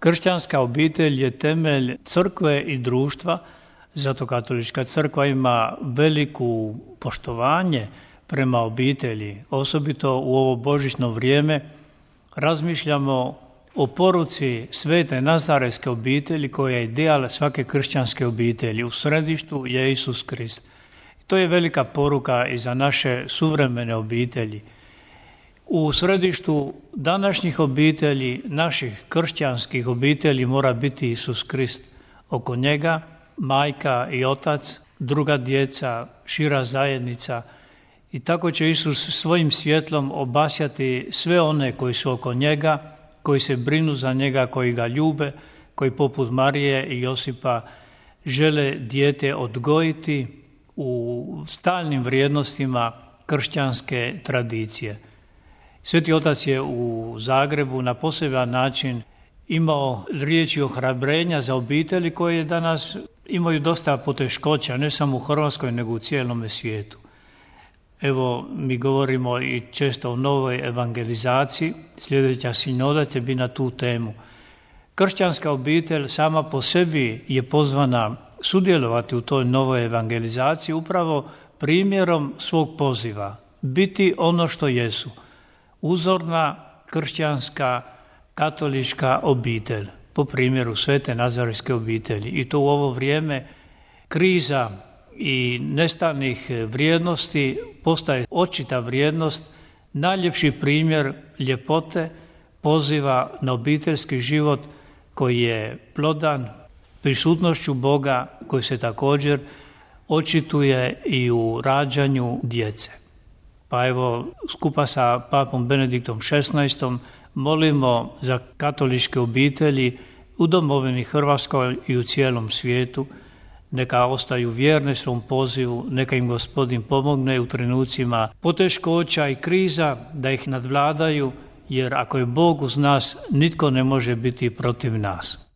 Kršćanska obitelj je temelj crkve i društva, zato katolička crkva ima veliko poštovanje prema obitelji. Osobito u ovo božićno vrijeme razmišljamo o poruci svete nazarejske obitelji koja je ideal svake kršćanske obitelji. U središtu je Isus Krist. To je velika poruka i za naše suvremene obitelji. U središtu današnjih obitelji, naših kršćanskih obitelji, mora biti Isus Krist. Oko njega majka i otac, druga djeca, šira zajednica. I tako će Isus svojim svjetlom obasjati sve one koji su oko njega, koji se brinu za njega, koji ga ljube, koji poput Marije i Josipa žele dijete odgojiti u stalnim vrijednostima kršćanske tradicije. Sveti Otac je u Zagrebu na poseban način imao riječi ohrabrenja za obitelji koje danas imaju dosta poteškoća, ne samo u Hrvatskoj, nego u cijelome svijetu. Evo, mi govorimo i često o novoj evangelizaciji, sljedeća sinoda će biti na tu temu. Kršćanska obitelj sama po sebi je pozvana sudjelovati u toj novoj evangelizaciji upravo primjerom svog poziva, biti ono što jesu. Uzorna kršćanska katolička obitelj, po primjeru svete nazarejske obitelji. I to u ovo vrijeme kriza i nestalnih vrijednosti postaje očita vrijednost, najljepši primjer ljepote, poziva na obiteljski život koji je plodan prisutnošću Boga, koji se također očituje i u rađanju djece. Pa evo, skupa sa papom Benediktom XVI molimo za katoličke obitelji u domovini Hrvatskoj i u cijelom svijetu. Neka ostaju vjerne svom pozivu, neka im Gospodin pomogne u trenucima poteškoća i kriza da ih nadvladaju, jer ako je Bog uz nas, nitko ne može biti protiv nas.